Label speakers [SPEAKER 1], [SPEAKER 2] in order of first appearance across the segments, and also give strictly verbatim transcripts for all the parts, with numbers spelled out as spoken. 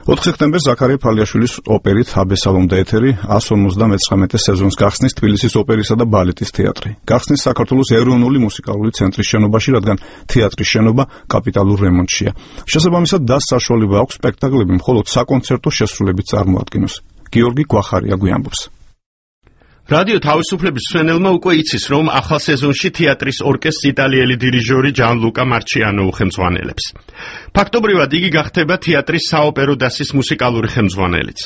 [SPEAKER 1] ოთხი სექტემბერს ზაქარია ფალიაშვილის ოპერით აბესალომდა ეთერი one fifty-nine სეზონს გახსნის თბილისის ოპერისა და ბალეტის თეატრი. გახსნის საქართველოს ეროვნული მუსიკალური ცენტრის შენობაში, რადგან თეატრის შენობა კაპიტალურ რემონტშია. შესაბამისად, და საშუალება აქვს სპექტაკლები მხოლოდ საკონცერტო შესრულებით წარმოადგინოს. გიორგი გვახარია გვიამბობს.
[SPEAKER 2] რადიო თავისუფლების მსმენელმა უკვე იცის, რომ ახალ სეზონში თეატრის ორკესტრს იტალიელი დირიჟორი ჯანლუკა მარჩიანო უხელმძღვანელებს. ფაქტობრივად იგი გახდება თეატრის საოპერო დასის მუსიკალური ხელმძღვანელიც.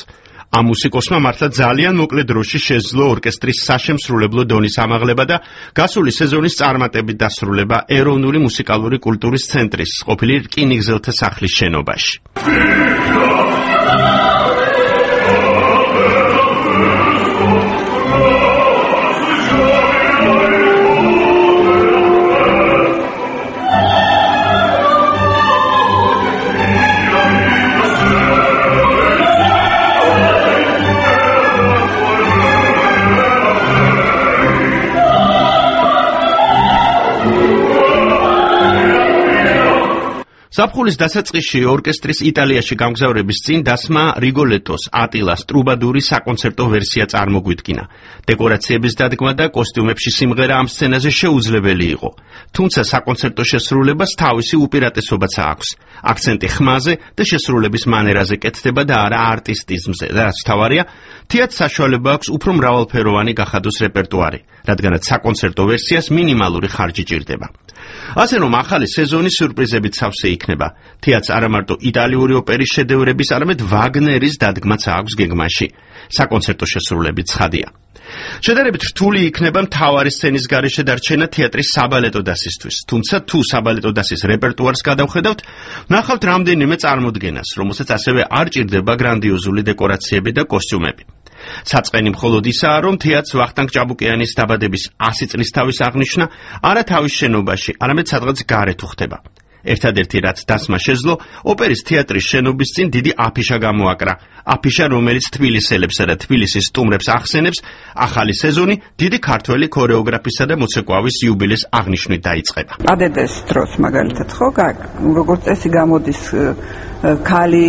[SPEAKER 2] ამ მუსიკოსმა მართლა ძალიან მოკლე დროში შეძლო ორკესტრის საშემსრულებლო დონის ამაღლება და გასული სეზონის წარმატებით დასრულება ეროვნული მუსიკალური კულტურის ცენტრის ყოფილი რკინიგზელთა სახლის შენობაში. ზაფხულის დასაწყისში ორკესტრის იტალიაში გამგზავრების წინ დასმა რიგოლეტოს ატილას ტრუბადური საკონცერტო ვერსია წარმოგვიდგინა. დეკორაციების დადგმა და კოსტიუმებში სიმღერა ამ სცენაზე შეუძლებელი იყო. თუმცა საკონცერტო შესრულებას თავისი უპირატესობაც აქვს. აქცენტი ხმაზე და შესრულების მანერაზე კეთდება და არა არტისტიზმზე. და რაც თავარია, თეატრს საშუალება აქვს უფრო მრავალფეროვანი გახადოს რეპერტუარი, რადგანაც საკონცერტო ვერსიას მინიმალური ხარჯი ჭირდება. ასე რომ ახალი სეზონის სიურპრიზებით სავსე იქნება. თეატრს არა მარტო იტალიური ოპერის შედევრების, არამედ ვაგნერის დადგმაც აქვს გეგმაში. საკონცერტო შესრულებით ცხადია. შედარებით რთული იქნება მთავარი სცენის გარეშე დარჩენა თეატრის საბალეტო დასისთვის. თუმცა თუ საბალეტო დასის რეპერტუარს გადავხედავთ, ნახავთ რამდენიმე წარმოდგენას, რომელსაც ასევე არ ჭირდება გრანდიოზული დეკორაციები და კოსტიუმები. საწყენი მხოლოდ ისაა, რომ თეატრს ვახტანგ ჭაბუკიანის დაბადების one hundred წლის თავის აღნიშვნა არა თავის შენობაში, არამედ სადღაც გარეთ უხდება. ერთადერთი რაც დასმა შეძლო, ოპერის თეატრის შენობის წინ დიდი აფიშა გამოაკრა. აფიშა, რომელიც თბილისელებსა და თბილისის სტუმრებს ახსენებს, ახალი სეზონი დიდი ქართველი ქორეოგრაფისა და მოცეკვავის იუბილეს აღნიშვნით დაიწყება.
[SPEAKER 3] ადედეს დროს მაგალითად ხო, როგორც წესი გამოდის ქალი,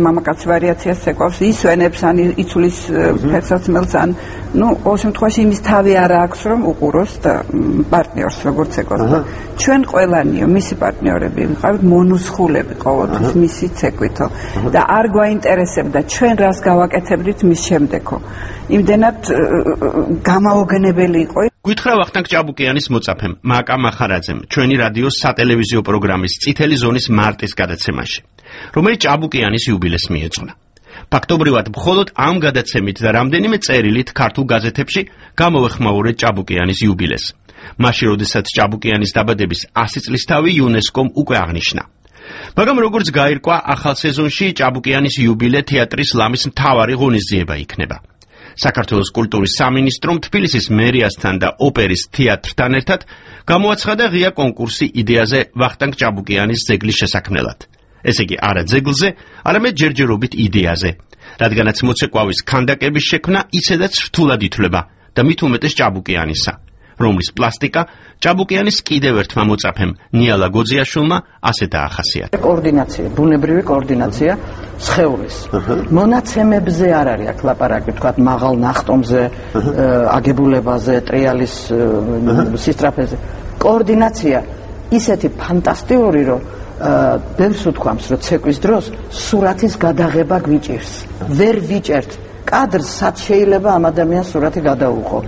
[SPEAKER 3] მამაკაც ვარიაციას ეკავს, ისვენებს ან იცulis ფერსაცმელს ან ნუ ყოველ შემთხვევაში იმის თავი არა აქვს, რომ უყუროს და პარტნიორს როგორც ეკავს. ჩვენ ყველანიო, მისი პარტნიორები ვიყავით მონუსხულები ყოველთვის მისი ცეკვითო და არ გვაინტერესებდა ჩვენ რას გავაკეთებდით მის შემდეგო. იმდენად გამაოგნებელი იყო.
[SPEAKER 2] გითხრა ვახტანგ ჭაბუკიანის მოწაფემ მაკა მახარაძემ ჩვენი რადიოს სატელევიზიო პროგრამის წითელი ზონის მარტის გადაცემაში, რომელიც ჭაბუკიანის იუბილეს მიეძღვნა. ფაქტობრივად მხოლოდ ამ გადაცემით და რამდენიმე წერილით ქართულ გაზეთებში გამოვეხმაურეთ ჭაბუკიანის იუბილეს. მაშინ, როდესაც ჭაბუკიანის დაბადების one hundred წლისთავი იუნესკომ უკვე აღნიშნა. მაგრამ როგორც გაირკვა, ახალ სეზონში ჭაბუკიანის იუბილე თეატრის ლამის მთავარი ღონისძიება იქნება. საქართველოს კულტურის სამინისტრომ თბილისის მერიასთან და ოპერის თეატრთან ერთად გამოაცხადა ღია კონკურსი იდეაზე ვახტანგ ჭაბუკიანის ძეგლის შესაქმნელად. ესე იგი, არა ძეგლზე, არამედ ჯერჯერობით იდეაზე, რადგანაც მოცეკვავის ქანდაკების შექმნა ისედაც რთულად ითვლება და მით უმეტეს ჭაბუკიანისა, რომლის პლასტიკა ჭაბუკიანის კიდევ ერთმა მოწაფემ ნიალა გოძიაშვილმა ასე დაახასიათა.
[SPEAKER 3] კოორდინაცია, ბუნებრივი კოორდინაცია სხეულის. მონაცემებზე არ არის აქ ლაპარაკი, თქვათ მაღალ ნახტომზე, აგებულებაზე, ტრიალის სისტრაფეზე. კოორდინაცია ისეთი ფანტასტიკური, რომ ბევრს უთქვამს, რომ ცეკვის დროს სურათის გადაღება გვიჭირს. ვერ ვიჭერთ კადრს, სად შეიძლება ამ ადამიანს სურათი გადაუღო.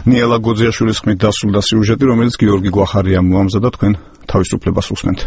[SPEAKER 1] ნიალა გოძიაშვილის ხმით დასრულდა სიუჟეტი, რომელიც გიორგი გვახარიამ მოამზადა, თქვენ თავისუფლებას უსმენთ.